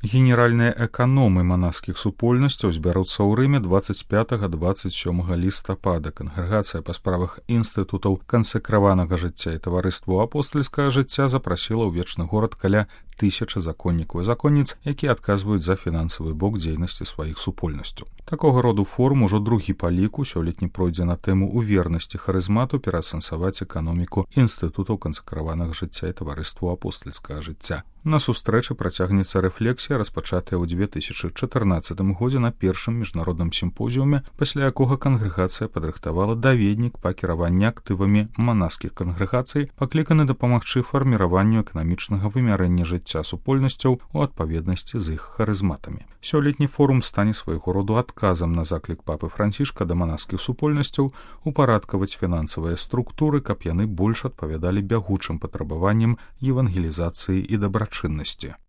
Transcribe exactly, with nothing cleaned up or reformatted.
Генеральныя эканомы манаскіх супольнасцяў збяруцца ў Рыме дваццаць пятага - дваццаць сёмага лістапада. Кангрэгацыя па справах інстытутаў кансакраванага жыцця і таварыству апостальскага жыцця запрасіла ў вечны горад каля тысячы законнікаў і законніц, якія адказваюць за фінансавы бок дзейнасці сваіх супольнасцяў. Такога роду форум ужо другі па ліку сёлетні пройдзе на тэму ў вернасці харызмату пераасэнсаваць эканоміку інстытутаў кансакраванага жыцця і таварыству апостальскага жыцця. На сустрэчы працягнецца рэфлексія, распачатая ў дзве тысячы чатырнаццатым годзе на першым міжнародным сімпозіуме, пасля якога кангрэгацыя падрыхтавала даведнік па кіраванні актывамі манаскіх кангрэгацый, пакліканы дапамагчы фарміраванню эканамічнага вымярэння жыцця супольнасцяў у адпаведнасці з іх харызматамі. Сёлетні форум стане свайго роду адказам на заклік папы Францішка да манаскіх супольнасцяў упарадкаваць фінансавыя структуры, каб яны больш адпавядалі бягучым патрабаванням евангелізацыі і дабрачыннасці.